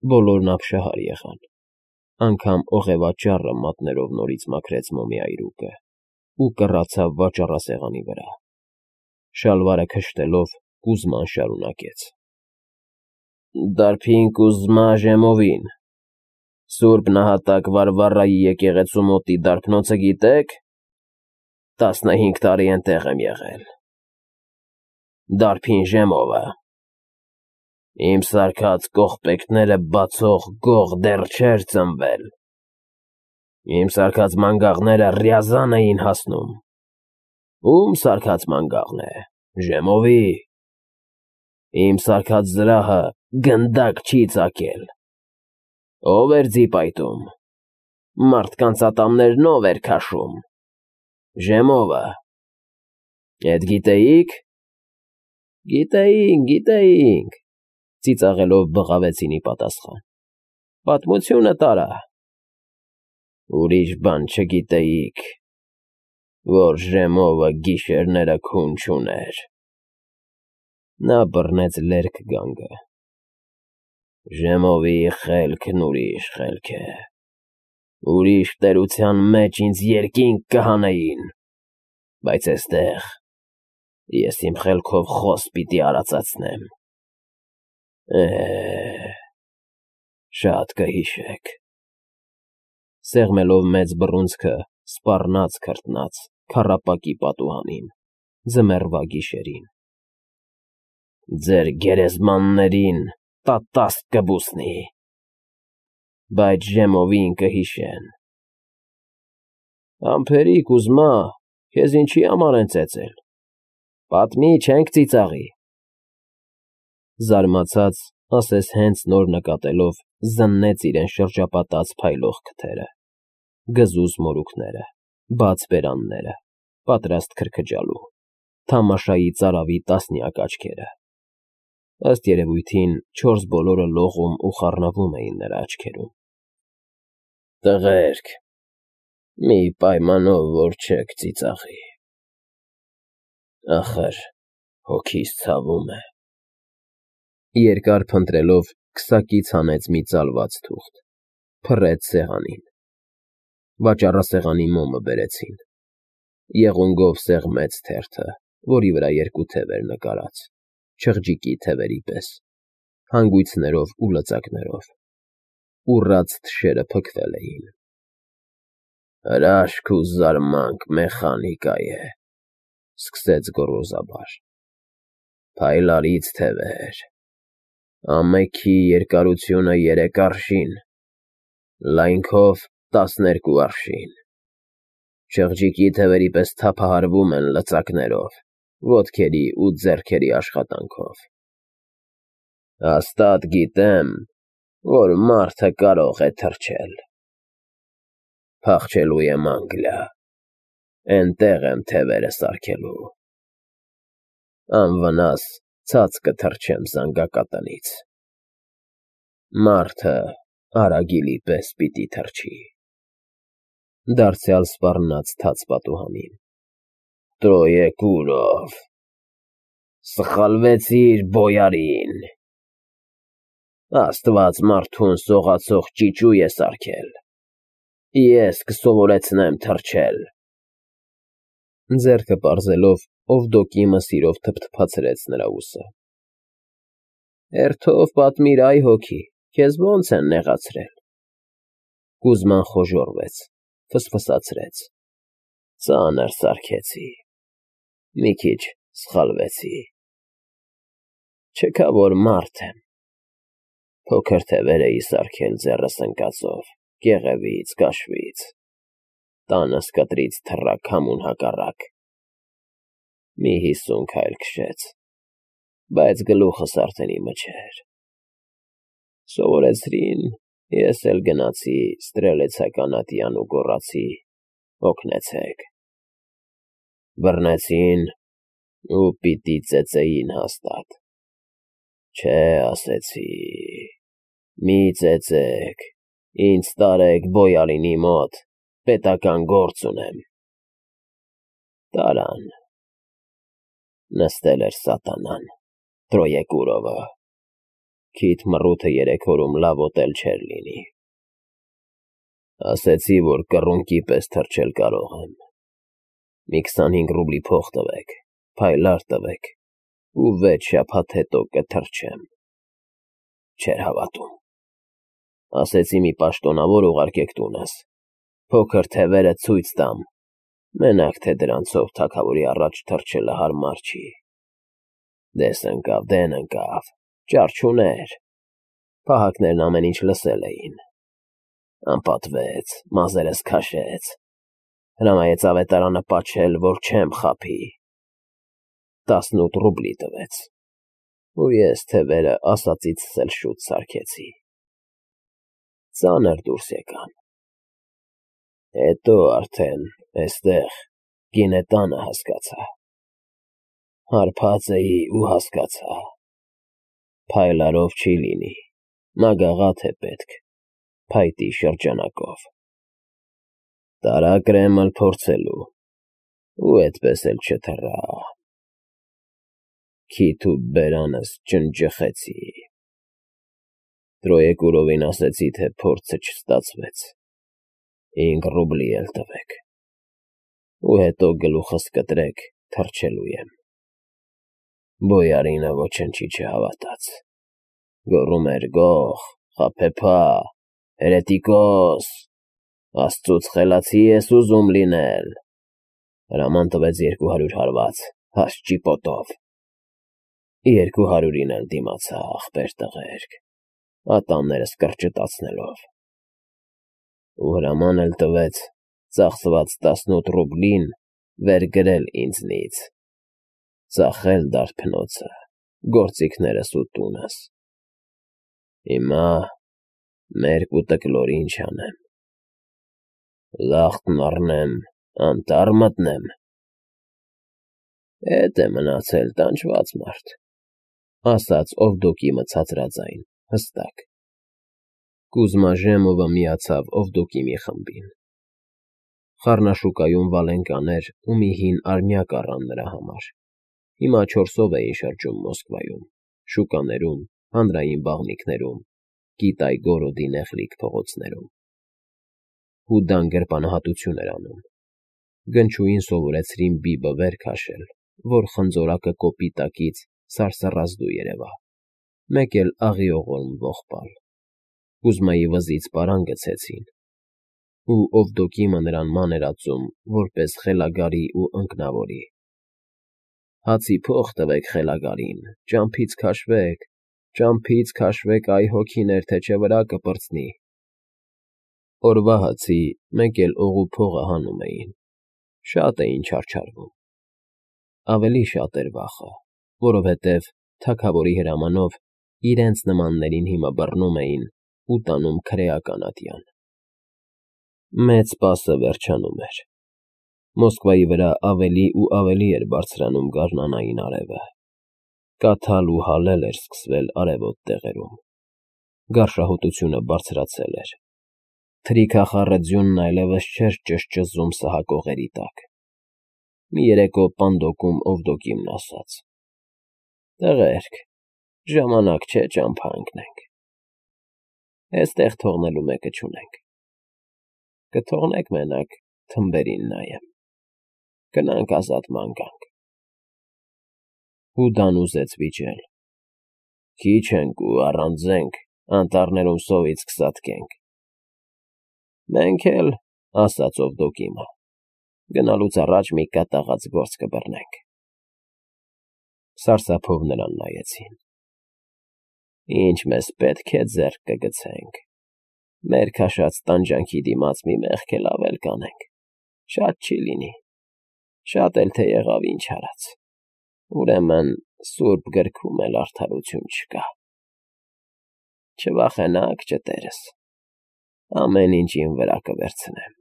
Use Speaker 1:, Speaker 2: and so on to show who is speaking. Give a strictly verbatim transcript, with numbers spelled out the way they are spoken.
Speaker 1: Բոլորն ապշահար եղան, անգամ օղևաճառը մատներով նորից մաքրեց մոմի այրուկը ու կռացավ վաճառասեղանի վրա, շալվարը քշտելով Կուզման շարունակեց. ֊ Դարբին Կուզմա Ժեմովին, Սուրբ Նահատակ Վարվառայի եկեղեցու մոտի դարբնոցը գիտե՞ք, տասնհինգ տարի էնտեղ եմ եղել, Դարբին Ժեմովը, իմ սարքած կողպեքները բացող գող դեռ չէր ծնվել, իմ սարքած մանգաղները Ռյազան էին հասնում, ո՞ւմ սարքած մանգաղն է, Ժեմովի, իմ սարքած զրահը գնդակ չի ծակել, ո՞վ էր ձի պայտում, մարդկանց ատամներն ո՞վ էր քաշում, Ժեմովը, էդ գիտեի՞ք։ Գիտեինք, գիտեինք, ծիծաղելով բղավեցին ի պատասխան, պատմությունը տարա, ուրիշ բան չգիտեիք, որ Ժեմովը գիշերները քուն չուներ, նա բռնեց լերկ գանգը, Ժեմովի խելքն ուրիշ խելք է, ուրիշ տերության մեջ ինձ երկինք կհանեին, բայց էստեղ ես իմ խելքով խոս պիտի արածացնեմ, է, շատ կհիշեք, սեղմելով մեծ բռունցքը սպառնաց քրտնաց քառապակի պատուհանին, ձմեռվա գիշերին, ձեր գերեզմաններին տատասկ կբուսնի, բայց Ժեմովին կհիշեն, ամփերի Կուզմա, քեզ ինչի համար են ծեծել, պատմի, չենք ծիծաղի, զարմացած, ասես հենց նոր նկատելով զննեց իրեն շրջապատած փայլող քթերը, գզուզ մորուքները, բաց բերանները, պատրաստ քրքջալու, թամաշայի ծարավի տասնյակ աչքերը, ըստ երևույթին չորս բոլորը լողում ու խառնվում էին նրա աչքերում, տղերք, մի պայմանով, որ չեք ծիծաղի, ախր հոգիս ցավում է, երկար փնտրելով քսակից հանեց մի ծալված թուղթ, փռեց սեղանին, վաճառասեղանի մոմը բերեցին, եղունգով սեղմեց թերթը, որի վրա երկու թև էր նկարած, չղջիկի թևերի պես, հանգույցներով ու լծակներով, ուռած թշերը փքվել էին, հրաշք ու զարմանք մեխանիկա է, սկսեց գոռոզաբար, փայլարից թևեր, ամեքի երկարությունը երեք արշին, լայնքով տասներկու արշին, չղջիկի թևերի պես թափահարվում են լծակներով, ոտքերի ու ձեռքերի աշխատանքով, հաստատ գիտեմ, որ մարդը կարող է թռչել, փախչելու եմ Անգլիա, էնտեղ եմ թևերը սարքելու, անվնաս ցած կթռչեմ զանգակատնից, մարդը արագիլի պես պիտի թռչի, դարձյալ սպառնաց թաց պատուհանին, Տրոյեկուրով, սխալվեցիր բոյարին, Աստված մարդուն սողացող ճիճու է սարքել, ես կսովորեցնեմ թռչել, ձեռքը պարզելով Օվդոկի մսիրով թփթփացրեց նրա ուսը, հերթով պատմիր, այ հոգի, քեզ ո՞նց են նեղացրել, Կուզման խոժոռվեց, ֆսֆսացրեց, ծանր սարքեցի, մի քիչ սխալվեցի, չքա որ մարդ եմ, փոքր թևեր էի սարքել ձեռս ընկածով, կեղևից, կաշվից, տանս կտրից թռա քամուն հակառակ, մի հիսուն քայլ քշեց, բայց գլուխս արդեն իմը չէր, սովորեցրին, ես էլ գնացի ստրելեցականատյան ու գոռացի, օգնեցեք, բռնեցին ու պիտի ծեծեին հաստատ, չէ, ասեցի, մի ծեծեք, ինձ տարեք բոյարինի մոտ, պետական գործ ունեմ, տարան, նստել էր սատանան, Տրոյեկուրովը, Քիթ մռութը երեք օրում լավ ուտել չէր լինի։ Ասեցի, որ կռունկի պես թռչել կարող եմ։ Մի քսանհինգ ռուբլի փող տվեք, փայլար տվեք, ու վեց շաբաթ հետո կթռչեմ։ Չէր հավատում։ Ասեցի մի պաշտոնավոր ուղարկեք տունս, փոքր թևերը ցույց տամ, մենակ թե դրանցով թագավորի առաջ թռչելը հարմար չի։ Դես ընկավ, դեն ընկավ, ճար չուներ։ Պահակներն ամեն ինչ լսել էին։ Անպատվեց, մազերս քաշեց, հրամայեց ավետարանը պաչել, որ չեմ խաբի։ Տասնութ ռուբլի տվեց, ու ես թևերը ասածիցս էլ շուտ սարքեցի։ Ծանր դուրս եկան։ Հետո արդեն էստեղ գինետանը հասկացա։ Հարբած էի ու հասկացա։ Փայլարով չի լինի, մագաղաթ է պետք, փայտի շրջանակով։ Տարա կրեմըլ փորձելու, ու էդպես էլ չթռա։ Քիթ ու բերանս ջնջխեցի։ Տրոյեկուրովին ասեցի, թե փորձը չստացվեց, հինգ ռուբլի էլ տվեք, ու հետո գլուխս կտրեք, թռչելու եմ։ Բոյարինը ոչնչի չհավատաց, գոռում էր գող, խաբեբա, հերետիկոս, աստծուց խելացի ես ուզում լինել։ Հրաման տվեց երկու հարյուր հարված, հաս ճիպոտով։ Երկու հարյուրին էլ դիմացա, ախպեր տղերք, ատամներս կրճտացնելով։ Ու հրաման էլ տվեց ծախսված տասնութ ռուբլին վեր գրել ինձնից, ծախել դարբնոցը, գործիքներս ու տունս։ Հիմա մերկ ու տկլոր ինչ անեմ։ Լախտն առնեմ, անտառ մտնեմ։ Էդ է մնացել տանջված մարդ, ասաց Օվդոկիմը ցածրաձայն, հստակ։ Կուզմաժեմովը միացավ Օվդոկիմի խմբին։ Խառնաշուկայում վալենկաներ ու մի հին արմյակ առան նրա համար։ Հիմա չորսով էին շրջում Մոսկվայում, շուկաներում, հանրային բաղնիքներում, Կիտայ֊Գորոդի նեղլիկ փողոցներում։ Հուդան գրպանահատություն էր անում։ Գնչուին սովորեցրին բիբը վեր քաշել, որ խնձորակը կոպի տակից սարսռազդու երևա, մեկ էլ աղիողորմ ողբալ։ Կուզմայի վզից պարան գցեցին, ու Օվդոկիմը նրան ման էր ածում որպես խելագարի ու ընկնավորի։ Հացի փող տվեք խելագարին, ճամփից քաշվեք, ճամփից քաշվեք, այ հոգիներ, թե չէ վրա կպրծնի։ Օրվա հացի մեկ էլ օղու փողը հանում էին, շատ էին չարչարվում։ Ավելի շատ էր վախը, որովհետև թագավորի հրամանով իրենց նմաններին հիմա բռնում էին ու տանում քրեական ատյան։ Մեծ պասը վերջանում էր։ Մոսկվայի վրա ավելի ու ավելի էր բարձրանում գարնանային արևը։ Կաթալ ու հալել էր սկսվել արևոտ տեղերում։ Գարշահոտությունը բարձրացել էր։ Թրիքախառը ձյունն այլևս չէր ճզճզում սահակողերի տակ։ Մի երեկո պանդոկում Օվդոկիմն ասաց. «Տղերք, ժամանակ չէ ճամփա ընկնենք։ Էստեղ թողնելու մեկը չունենք։ Կթողնեք մենակ թմբերին նայեմ։ Գնանք ազատ ման գանք»։ Հուդան ուզեց վիճել. «Քիչ ենք ու առանձենք, անտառներում սովից կսատկենք»։ «Մենք էլ», ասաց Օվդոկիմը, «գնալուց առաջ մի կատաղած գործ կբռնենք»։ Սարսափով նրան նայեցին։ «Ինչ մեզ պետք է, ձեռք կգցենք։ Մեր քաշած տանջանքի դիմաց մի մեղք էլ ավել կանենք, շատ չի լինի, շատ էլ թե եղավ ինչ արած։ Ուրեմն սուրբ գրքում էլ արդարություն չկա։ Չվախենաք, ջտերս, ամեն ինչ իմ վրա կվերցնեմ»։